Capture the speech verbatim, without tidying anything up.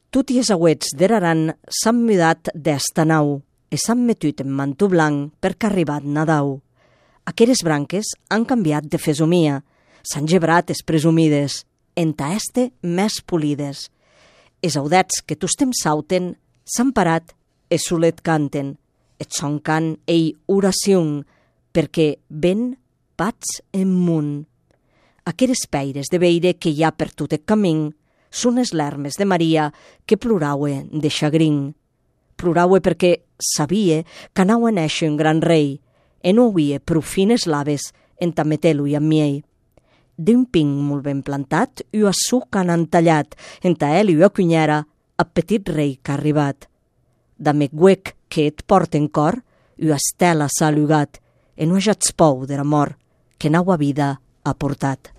Tutti es auets d'Eraran s'han mudat d'esta nau e s'han metut en manto blanc perquè ha arribat Nadau. Aqueres branques han canviat de fesomia, s'han gebrat es presumides, enta este més polides. Es audets que tostem sauten s'han parat e solet canten, et son can ei oracion, perquè ven pats en munt. Aqueres peires de veire que hi ha per tot el camí són es lermes de Maria que ploraue de chagrin. Ploraue perquè sabia que anau a néixer un gran rei e no havia prou fines laves enta meter-lo amb miei. D'un pin molt ben plantat, i a suc han entallat, enta ell i a cunyera, a petit rei que ha arribat. Da me guec que et porta en cor, i a estela s'ha lugat, e no hajats pou de la mort que nau a vida ha portat.